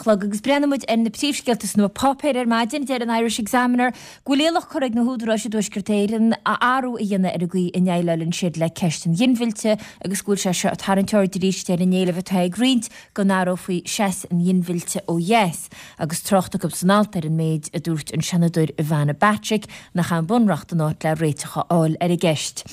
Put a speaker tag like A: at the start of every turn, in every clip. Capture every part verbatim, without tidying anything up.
A: chlog agus breathnóidh muid ar na príomhscéalta sna páipéir ar maidin. Deir an Irish Examiner go bhfuil iallach curtha ag na húdaráis i dTuaisceart Éireann athrú a dhéanamh ar an gcaoi a ndéileálann siad le ceist an ghinmhillte agus go bhfuil sé seo ag tarraingt aird arís ar an éileamh atá ag roinnt go n-athrófaí seas an ghinmhillte ó dheas agus trácht acu san alt ar an méid a dúirt an Seanadóir Ivana Bacik nach é an bunreacht an áit le réiteach a fháil ar an gceist.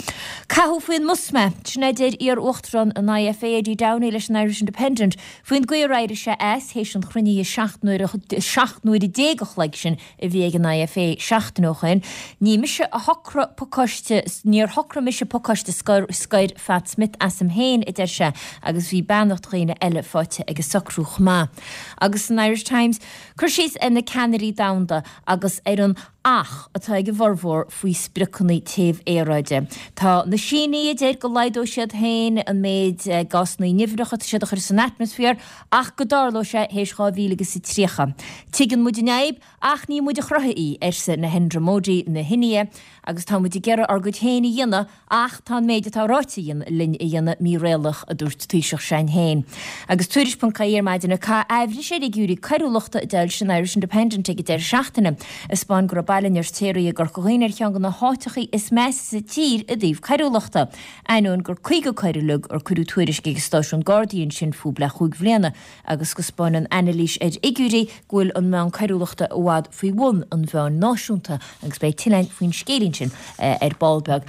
A: Caitheadh faoin mbus mé, sin a deir iar-uachtarán an I F A Eddie Downey leis an Irish Independent faoin gcaoi ar éirigh sé as théis an chruinnithe seacht n-uaire déag a chloig sin a bhí ag an I F A seachtain ó shin. Ní mise a shocraigh pacáiste, níor shocraigh mise pacáiste scoir scoir Phat Smith asam féin, a deir sé, agus bhí beannacht dhaoine eile faighte ag an socrú chomh maith. Agus san Irish Times, cur síos ar na ceannairí domhanda agus ar an "ach" atá ag a bhformhór faoi spriocanna téamh aeráide. Tá na Sínigh a deir go laghdóidh siad féin an méid eh, gásanna nimhneacha atá siad a chur san atmaisféar ach go dtarlóidh sé théis dhá mhíle agus a tríocha. Tuigeann muid an fhadhb ach ní muid a chruthaigh í, arsa Narendra Modi na hIndia, agus tá muid ag iarraidh ár gcuid féin a dhéanamh ach tá an méid atá ráite linn a dhéanamh míréalaíoch, a dúirt Taoiseach Sinn Féin. Agus tuairisc ponc ie ar maidin aithris ar fhigiúirí coiriúlachta a d'fhoilsigh an Irish Independent ag an deireadh seachtaine a 'spáin go raibh Baile an Fheirtéaraigh i gCorca Dhuibhne ar cheann de na háiteacha is measa sa tír i dtaobh coiriúlachta. Ainneoin gur caoga coir uilig ar cuireadh tuairisc ag stáisiún Gardaí ansin fúthu le cúig bliana agus go 'spáineann anailís ar fhigiúirí go bhfuil an meán coiriúlachta i bhfad faoi bhun an mheáin náisiúnta agus beidh tuilleadh faoin scéilín sin eh, ar ball beag.